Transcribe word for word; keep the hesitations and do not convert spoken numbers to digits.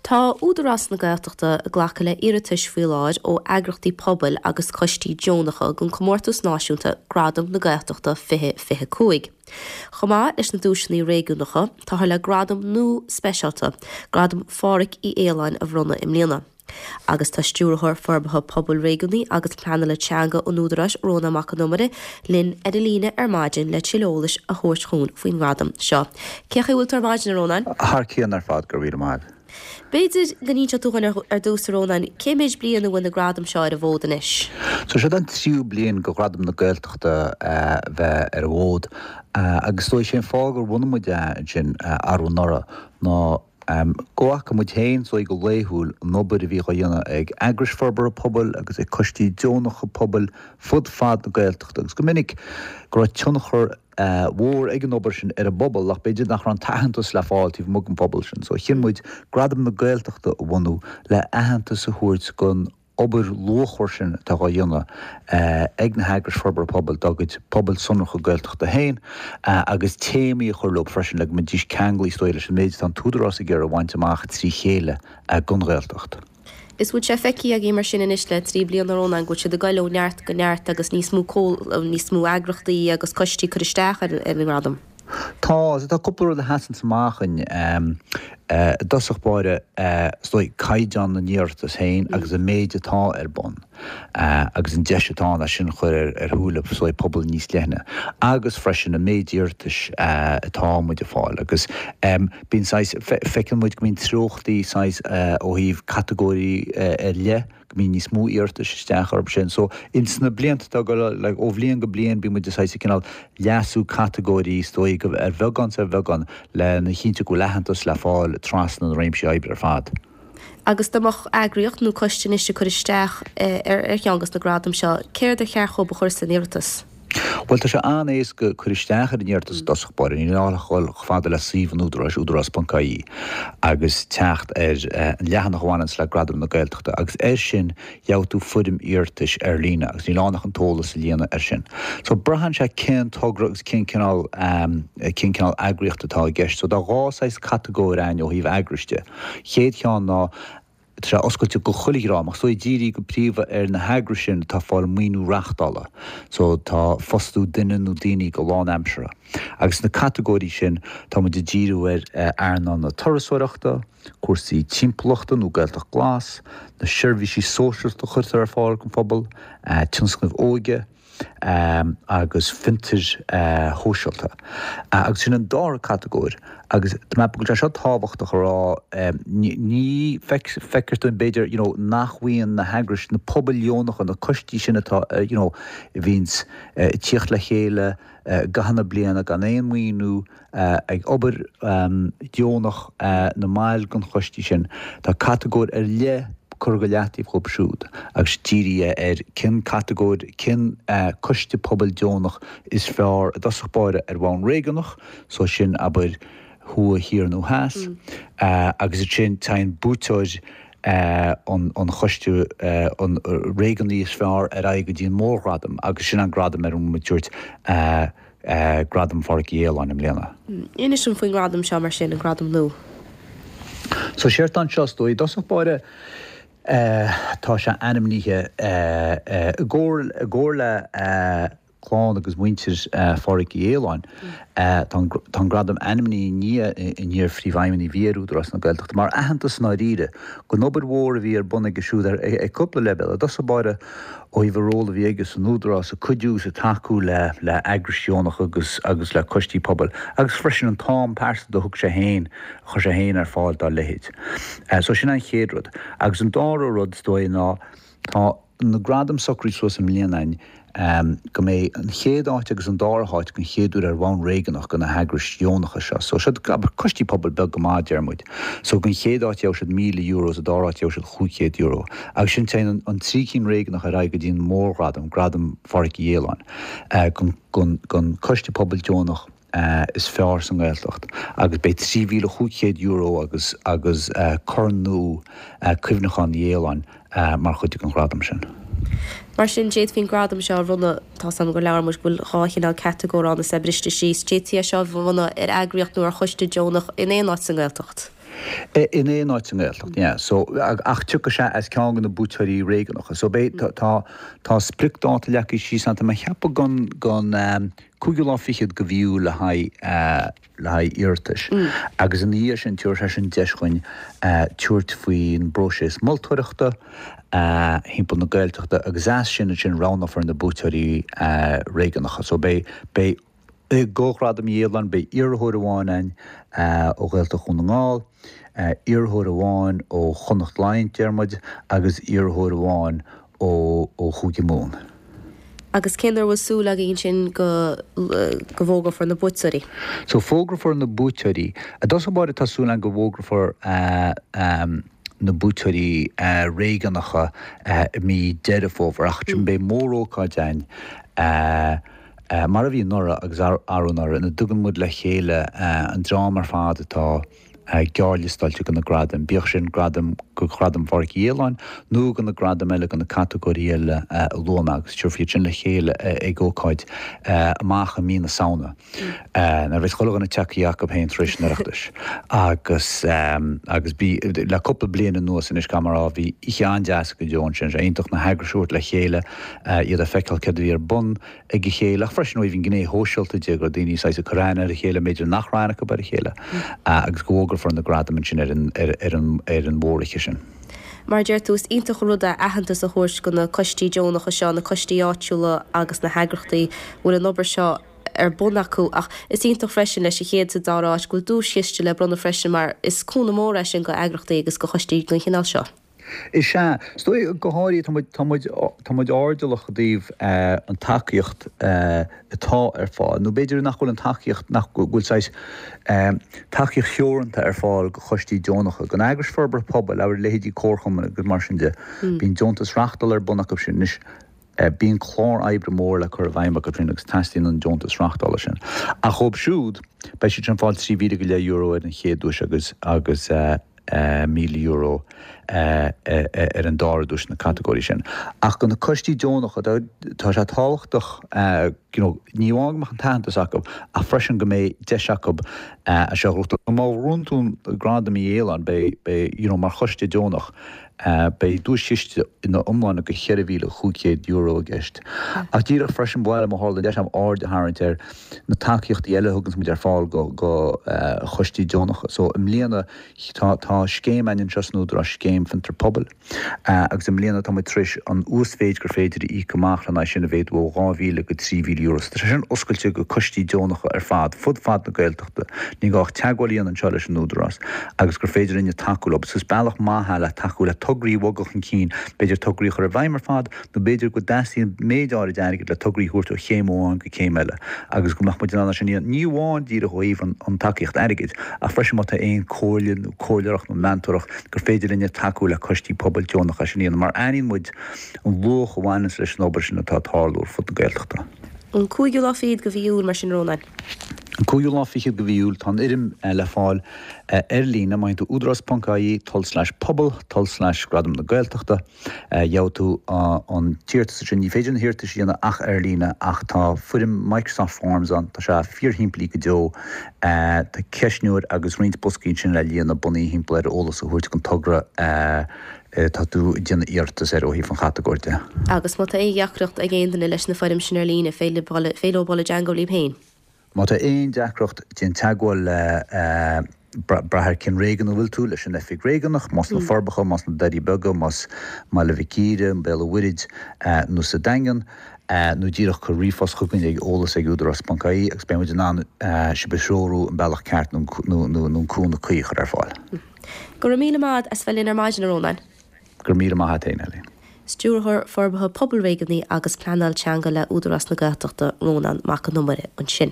Tá Údarás na Gaeltachta ag glacadh le hiarratais faoi láthair ó eagraíochtaí pobail agus coistí deonacha don chomórtas náisiúnta Gradam na Gaeltachta fiche fiche cúig. Chomh maith leis na duaiseanna réigiúnacha, táthar le gradam nua speisialta, Gradam Phádraig Uí Aoláin a bhronnadh i mbliana. Agus tá Stiúrthóir Forbartha Pobail Réigiúnaí agus Pleanála Teanga an Údaráis Rónán Mac Con Iomaire linn ar an líne ar maidin le tuilleadh eolais a thabhairt chugainn faoin ngradam seo. Cén chaoi a bhfuil tú ar maidin a Rónáin? Thar cionn ar fad go raibh míle maith. B'fhéidir go n-inseodh tú dhúinn ar dtús a Rónáin, cé mhéid bliain a bhfuil na gradaim seo ar an bhfód anois? So seo an tríú bliain do Ghradam na Gaeltachta bheith ar an bhfód agus is dóigh sé an fáth gur bhunaigh muid é ansin arú anuraidh ná go bhfaca muid féin is dóigh go laethúil an obair a bhí á dhéanamh ag eagrais forbartha pobail agus ag coistí deonacha pobail fud fad na Gaeltachta agus go minic go raibh tionchar mhór ag an obair sin ar an bpobal ach b'fhéidir nach raibh an t-aitheantas le fáil taobh amuigh den phobal sin. So chinn muid Gradam na Gaeltachta a bhunú le aitheantas a thabhairt don obair luachmhar sin atá á dhéanamh ag na heagrais forbartha pobail dá gcuid pobail sonracha Gaeltachta féin agus téamaí a chur leo freisin le go mbeidís ceangailte is dóigh leis an méid atá an tÚdarás ag iarraidh a bhaint amach trí chéile don Ghaeltacht. Is bhfuil sé feicthe agaibh mar sin anois le trí bliana a Rónáin go bhfuil siad ag dul ó neart go neart agus níos mó níos mó eagraíochtaí agus coistí cur isteach ar an ngradam. Tá, tá cúpla rud a sheasann amach in i dtosach báire is dóigh caighdeán na n-iarratas féin agus an méid atá ar bun agus an deis atá ann é sin a chur ar ar shúile is dóigh pobal níos leithne agus freisin an méid iarratais atá muid ag fáil agus bíonn saghas feiceann muid go mbíonn treochtaí saghas ó thaobh catagóirí ar leith go mbíonn níos mó iarratais isteach orthu sin. So ins na blianta atá ag dul like ó bhliain go bliain bíonn muid saghas ag cineál leasú catagóirí is dóigh go ar bheagán 's ar bheagán lena chinntiú go bhfuil aitheantas le fáil trasna na réimsí oibre ar fad. Agus dá mbeadh eagraíocht nó coiste anois ag cur isteach ar ar cheann de na gradaim seo, céard ar cheart dhóibh a chur san iarratas? Bhuel tá sé an-éasca cur isteach ar an iarratas i dtosach báire, níl ann ach dhul chomh fada le suíomh an Údaráis, údarás.ie, agus teacht ar an leathanach a bhaineanns le Gradam na Gaeltachta agus air sin gheobhaidh tú foirm iarratais ar líne agus níl ann ach an t-eolas a líonadh air sin. So braitheann sé cén togra agus cén cineál cén cineál eagraíocht atá i gceist. So tá dhá saghas catagóir ann ó thaobh eagrais de. Chéad cheann ná Tá sé oscailte go chuile dhream ach is dóigh dírithe go príomha ar na heagrais sin atá ag fáil maoiniú reachtála, so tá fostú duine nó daoine go lánaimseartha. Agus sna catagóirí sin tá muid ag díriú ar earnáil na turasóireachta, cúrsaí timpeallachta nó Gaeltacht Glas, na seirbhísí sóisialta a chuirtear ar fáil don phobal, tionscnaimh óige, agus fiontair shóisialta. Agus sin an dara catagóir agus tá mé ag ceapadh go bhfuil sé seo tábhachtach a rá, ní feictear dúinn b'fhéidir you know nach bhfaigheann na heagrais, na pobail dheonacha, na coistí sin atá you know a bhíonns ag tíocht le chéile i gcaitheamh na bliana gan aon mhaoiniú, ag obair deonach na mbaill den choistí sin. Tá catagóir ar leith curtha go leataobh dhóibh siúd agus dírithe ar cén catagóir, cén coiste pobail deonach is fearr i dtosach báire ar bhonn réigiúnach, so sin abair thuaidh, thiar nó theas, agus ansin téann buaiteoir an choiste an réigiúnaí is fearr ar aghaidh go dtí an mórghradam agus sin an gradam ar a bhfuil muid ag tabhairt Gradam Phádraig Uí Aoláin i mbliana. Inis dom faoin ngradam seo mar sin, an gradam nua. So séard atá anseo is dóigh, i dtosach báire tá sé ainmnithe i gcomhar le clann agus muintir Phádraig Uí Aoláin. Tá an gradam ainmnithe i ndiaidh an iar-phríomhfheidhmeannaigh a bhí ar Údarás na Gaeltachta mar aitheantas i ndáiríre don obair mhór a bhí ar bun aige siúd ar cúpla leibhéal. I dtosach báire ó thaobh an ról a bhí aige san Údarás ag cuidiú agus ag tacú le le eagrais dheonacha agus agus le coistí pobail agus freisin an t-am pearsanta a thug sé féin, a chuir sé féin ar fáil dá leithéid. So sin an chéad rud. Agus an dara rud is dóigh ná tá na gradaim socraithe suas i mbliana againn go mbeidh an chéad áit agus an dara háit den chéad uair ar bhonn réigiúnach do na heagrais dheonacha seo. So siad coistí pobail beag go maith, deir muid. So don chéad áit gheobhaidh siad míle euro, sa dara háit gheobhaidh siad chúig chéad euro. Agus ansin téann an trí cinn réigiúnach ar aghaidh go dtí an mórghradam, Gradam Phádraig Uí Aoláin, don choiste pobail deonach. is fearr sa nGaeltacht agus beidh trí mhíle chúig chéad euro agus agus corn nua cuimhneacháin Uí Aoláin mar chuid den ghradam sin. Mar sin, d'fhéadfaí an gradam seo a bhronnadh, tá 's agam gur labhair muid go bhfuil dhá chineál catagóir ann is é briste síos, d'fhéadfaí é seo a bhronnadh ar eagraíocht nó ar choiste deonach in aon áit sa nGaeltacht. In aon áit sa nGaeltacht, yeah. So, ach tiocfaidh sé as ceann de na buaiteoirí réigiúnacha. So beidh, tá, tá spriocdháta leagtha síos ann, tá mé ag ceapadh gon, gon cúigiú lá fichead de mhí Iúil le haghaidh, le haghaidh iarratais. Agus ina dhiaidh sin, tabharfaidh sé sin deis dhuinn tabhairt faoin bpróiseas moltóireachta thimpeall na Gaeltachta agus as sin ansin roghnófar na buaiteoirí réigiúnacha. So beidh, beidh i do Ghradam Uí Fhaoláin, beidh iarrthóir amháin ann ó Ghaeltacht Dhún na nGall, iarrthóir amháin ó Chonnacht Laighean, deir muid, agus iarrthóir amháin ó Chúige Mumhan. Agus cén uair a bhfuil súil agaibh ansin go go bhfógrófar na buaiteoirí? So fógrófar na buaiteoirí. I dtosach báire tá súil againn go bhfógrófar na buaiteoirí réigiúnacha i mí Deireadh Fómhair ach beidh mórócáid ann mar a bhí anuraidh agus arú anuraidh ina dtugann muid le chéile an dream ar fad atá gearrliostáilte do na gradaim, bíodh sin gradam go Ghradam Phádraic Uí Fhaoláin nó do na gradaim eile, do na catagóirí eile a luaigh mé agus tabharfar iad sin le chéile ag ócáid amach i mí na Samhna nuair a bheas chuile dhuine tagtha acu féin tar éis an Oireachtais agus agus bhí le cúpla bliain anuas anois caithfidh mé a rá bhí oíche an-deas go deo ansin, sé iontach na heagrais a thabhairt le chéile, iad a feiceáil céard a bhí ar bun ag a chéile ach freisin ó thaobh an ghné shóisialta de go raibh daoine saghas ag cur aithne ar a chéile b'fhéidir nach raibh aithne acu ar a chéile agus go bhfógrófar na gradaim ansin ar an ar an ar an mhóroíche sin. Mar a deir tú, is iontach an rud é aitheantas a thabhairt do na coistí deonacha seo, na coistí áitiúla agus na heagrachtaí a bhfuil an obair seo ar bun acu ach is iontach freisin leis an chéad sa dara háit go bhfuil duaischiste le bronnadh freisin mar is cúnamh mór é sin do eagrachtaí agus do choistí den chineál seo. Is ea. Is dóigh, go háirithe, tá muid, tá muid, tá muid airdeallach i dtaobh an tacaíocht atá ar fáil, nó b'fhéidir nach bhfuil an tacaíocht, nach bhfuil saghas tacaíocht theoranta ar fáil do choistí deonacha, don eagrais forbartha pobail, abair leithéidí comharchumann agus mar sin de. Bíonn deontas reachtála ar bun acu sin. Anois, bíonn clár oibre mór le cur i bhfeidhm acu sin agus teastaíonn an deontas reachtála sin. Ach dhóibh siúd, beidh siad sin ag fáil trí mhíle go leith euro ar an chéad duais agus, agus, míle euro ar an dara duais sna catagóirí sin. Ach do na coistí deonacha, tá sé tábhachtach you know ní amháin go mbeadh an t-aitheantas acu ach freisin go mbeidh deis acu é seo a ghnóthachtáil. Má bhuann tú Gradam Uí Fhaoláin, beidh, beidh, you know mar choiste deonach, beidh duaischiste ina iomláine de cheithre mhíle chúig chéad euro i gceist. Ach díreach freisin ba mhaith liom, má tharla an deis agam, aird a tharraingt ar na tacaíochtaí eile a thuganns muid ar fáil go go choistí deonacha. So i mbliana tá tá scéim againn anseo san Údarás, Scéim Fiontar Pobail, agus i mbliana tá muid tar éis an uasmhéid gur féidir a íoc amach lena aghaidh sin a mhéadú ó dhá mhíle go trí mhíle euro. So tá sé sin oscailte go coistí deonacha ar fad, fud fad na Gaeltachta. Ní gá ach teagmháil a dhéanamh anseo leis an Údarás agus gur féidir linne tacú leo. So is bealach maith é le tacú le tograí a bhogadh chun cinn, b'fhéidir tograí a chur i bhfeidhm ar fad nó b'fhéidir go dteastaíonn méid áirid airgid le tograí a thabhairt ó chéim amháin go céim eile agus go mbeadh muid in ann é sin a dhéanamh, ní amháin díreach ó thaobh an tacaíocht airgid ach freisin má tá aon comhairle nó comhairleoireacht nó meantóireacht gur féidir linne tacú le coistí pobail deonacha é sin a dhéanamh mar aithníonn muid an luach a bhaineanns leis an obair sin atá ag tarlú ar fud na Gaeltachta. An cúigiú lá fichead de mhí Iúil, mar sin, Rónán. An cúigiú lá fichead de mhí Iúil, tá an fhoirm le fáil ar líne má théann tú údarás ponc ie tulslais pobal tulslais Gradam na Gaeltachta. Gheobhaidh tú an t-iarratas ansin. Ní féidir na hiarratais a dhéanamh ach ar líne ach tá foirm Microsoft Forms ann. Tá sé fíorshimplí go deo. Tá ceistneoir agus roinnt boscaí ansin le líonadh bunaithe thimpeall ar eolas a thabhairt don togra. atá tú ag déanamh iarratas air ó thaobh an chatagóir de. Agus má tá aon dheacracht ag aon duine leis na foirm sin ar líne, féidir leo dul i dteangmháil libh féin. Má tá aon deacracht, déan teagmháil le, brath ar cén réigiún a bhfuil tú, leis an oifig réigiúnach, más na Forbacha, más na Doirí Beaga, más mBaile Mhic Íre, Béal an Mhuirthead nó sa Daingean, nó díreach cuir ríomhphost chugainn ag eolas ag údarás ponc ie agus beidh muid in ann sibh a threorú an bealach ceart nó an cúnamh cuí a chur ar fáil. Go raibh míle maith agat as bheith linn ar maidin, a Rónáin. Go raibh míle maith agat féin, Eileen. Stiúrthóir Forbartha Pobail Réigiúnaí agus Pleanáil Teanga le Údarás na Gaeltachta, Rónán Mac Con Iomaire, ansin.